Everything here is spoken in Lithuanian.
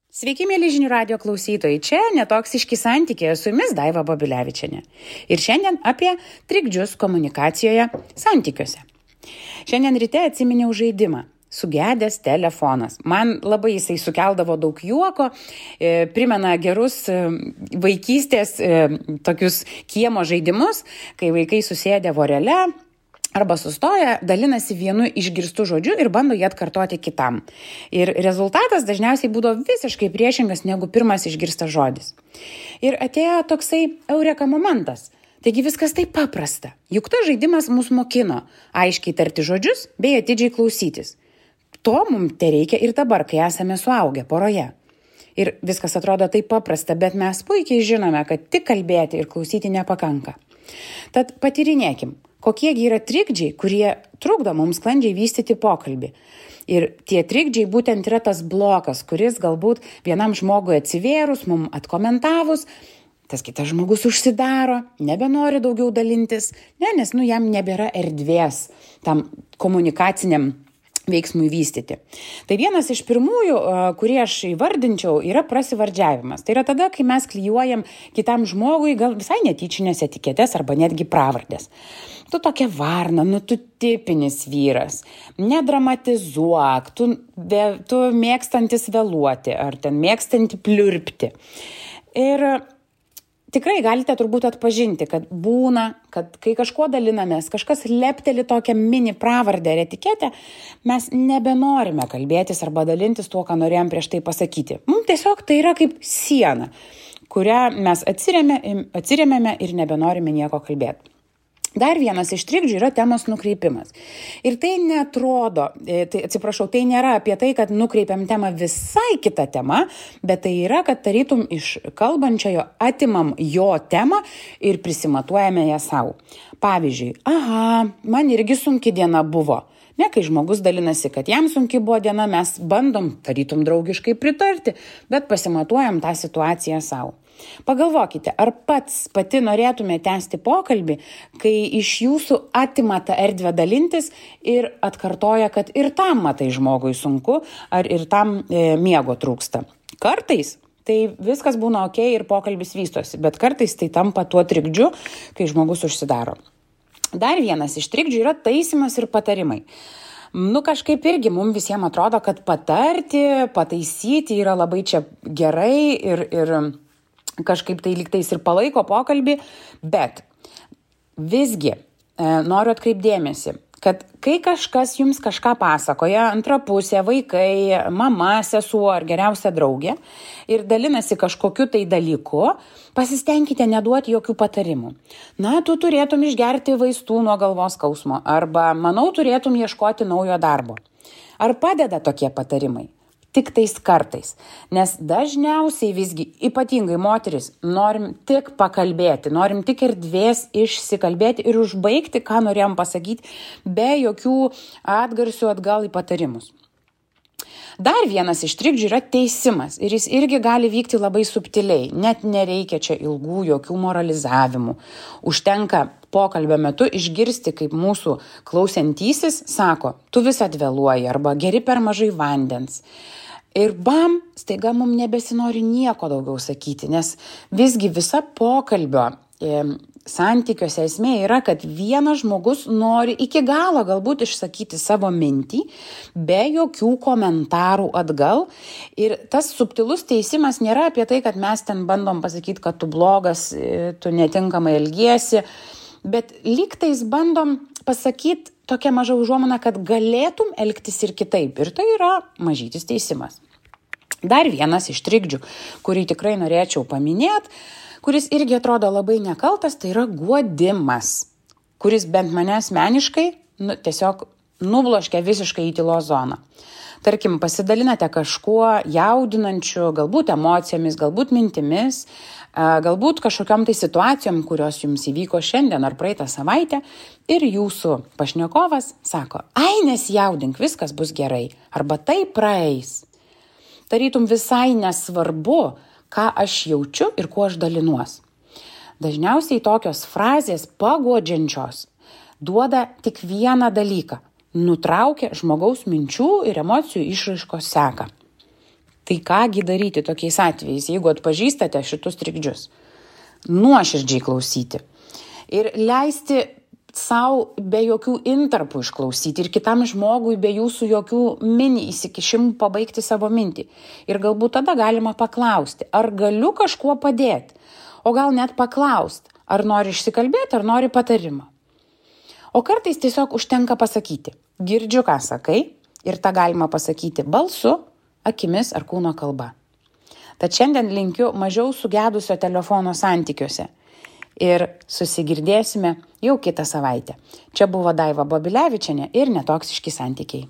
Sveiki, mėly žinių radio klausytojai, čia Netoksiški santykiai, su jumis Daiva Babilevičienė. Ir šiandien apie trikdžius komunikacijoje santykiuose. Šiandien ryte atsiminiau žaidimą. Sugedęs telefonas. Man labai jisai sukeldavo daug juoko, primena gerus vaikystės tokius kiemo žaidimus, kai vaikai susėdę vorele arba sustoja, dalinasi vienu išgirstu žodžiu ir bando jį atkartoti kitam. Ir rezultatas dažniausiai būdavo visiškai priešingas negu pirmas išgirstas žodis. Ir atėjo toksai eureka momentas. Taigi viskas taip paprasta. Juk tas žaidimas mus mokino aiškiai tarti žodžius bei atidžiai klausytis. To mums tereikia ir dabar, kai esame suaugę poroje. Ir viskas atrodo taip paprasta, bet mes puikiai žinome, kad tik kalbėti ir klausyti nepakanka. Tad patyrinėkim. Kokiegi yra trikdžiai, kurie trukdo mums sklandžiai vystyti pokalbį. Ir tie trikdžiai būtent yra tas blokas, kuris galbūt vienam žmogui atsivėrus, mums atkomentavus, tas kitas žmogus užsidaro, nebenori daugiau dalintis, nes jam nebėra erdvės tam komunikaciniam veiksmui vystyti. Tai vienas iš pirmųjų, kurį aš įvardinčiau, yra prasivardžiavimas. Tai yra tada, kai mes klijuojam kitam žmogui gal visai netyčinės etiketės arba netgi pravardės. Tu tokia varna, tu tipinis vyras, nedramatizuok, tu mėgstantis vėluoti ar ten mėgstanti pliurpti. Ir tikrai galite turbūt atpažinti, kad būna, kad kai kažkuo dalinamės, kažkas lepteli tokią mini pravardę ar etiketę, mes nebenorime kalbėtis arba dalintis tuo, ką norėjom prieš tai pasakyti. Mums tiesiog tai yra kaip siena, kurią mes atsiremėme ir nebenorime nieko kalbėti. Dar vienas iš trikdžių yra temos nukreipimas. Ir tai tai nėra apie tai, kad nukreipiam temą visai kitą temą, bet tai yra, kad tarytum iš kalbančiojo atimam jo temą ir prisimatuojame ją savo. Pavyzdžiui, man irgi sunki diena buvo. Kai žmogus dalinasi, kad jam sunki buvo diena, mes bandom tarytum draugiškai pritarti, bet pasimatuojam tą situaciją savo. Pagalvokite, ar pati norėtume tęsti pokalbį, kai iš jūsų atima tą erdvę dalintis ir atkartoja, kad ir tam matai žmogui sunku, ar ir tam miego trūksta. Kartais tai viskas būna okei ir pokalbis vystosi, bet kartais tai tampa tuo trikdžiu, kai žmogus užsidaro. Dar vienas iš trikdžių yra taisymas ir patarimai. Kažkaip irgi mums visiems atrodo, kad patarti, pataisyti yra labai čia gerai ir kažkaip tai lygtais ir palaiko pokalbį, bet visgi noriu atkreipdėmėsi, kad kai kažkas jums kažką pasakoja, antra pusė, vaikai, mama, sesuo ar geriausia draugė ir dalinasi kažkokiu tai dalyku, pasistengkite neduoti jokių patarimų. Tu turėtum išgerti vaistų nuo galvos skausmo arba, manau, turėtum ieškoti naujo darbo. Ar padeda tokie patarimai? Tik tais kartais, nes dažniausiai visgi, ypatingai moteris, norim tik pakalbėti, norim tik erdvės išsikalbėti ir užbaigti, ką norėjom pasakyti, be jokių atgarsių atgal į patarimus. Dar vienas iš trikdžių yra teisimas ir jis irgi gali vykti labai subtiliai, net nereikia čia ilgų jokių moralizavimų. Užtenka pokalbio metu išgirsti, kaip mūsų klausiantysis sako, tu vis atvėluoji arba geri per mažai vandens. Ir staiga mums nebesinori nieko daugiau sakyti, nes visgi visa pokalbio santykiuose esmė yra, kad vienas žmogus nori iki galo galbūt išsakyti savo mintį, be jokių komentarų atgal. Ir tas subtilus teisimas nėra apie tai, kad mes ten bandom pasakyti, kad tu blogas, tu netinkamai elgiesi, bet lygtais bandom pasakyti tokia maža užuomina, kad galėtum elgtis ir kitaip. Ir tai yra mažytis teisimas. Dar vienas iš trikdžių, kurį tikrai norėčiau paminėti, kuris irgi atrodo labai nekaltas, tai yra guodimas, kuris bent mane asmeniškai tiesiog nubloškia visiškai į tylos zoną. Tarkim, pasidalinate kažkuo jaudinančiu, galbūt emocijomis, galbūt mintimis, galbūt kažkokiam tai situacijom, kurios jums įvyko šiandien ar praeitą savaitę ir jūsų pašnekovas sako, nesijaudink, viskas bus gerai, arba tai praeis. Tarytum visai nesvarbu, ką aš jaučiu ir kuo aš dalinuos. Dažniausiai tokios frazės paguodžiančios duoda tik vieną dalyką – nutraukia žmogaus minčių ir emocijų išraiškos seką. Tai kągi daryti tokiais atvejais, jeigu atpažįstate šitus trikdžius? Nuoširdžiai klausyti ir leisti sau be jokių intarpų išklausyti ir kitam žmogui be jūsų jokių mini įsikišimų pabaigti savo mintį. Ir galbūt tada galima paklausti, ar galiu kažkuo padėti, o gal net paklausti, ar nori išsikalbėti, ar nori patarimą. O kartais tiesiog užtenka pasakyti, girdžiu, ką sakai, ir tą galima pasakyti balsu, akimis ar kūno kalba. Tad šiandien linkiu mažiau sugedusio telefono santykiuose. Ir susigirdėsime jau kitą savaitę. Čia buvo Daiva Babilevičienė ir Netoksiški santykiai.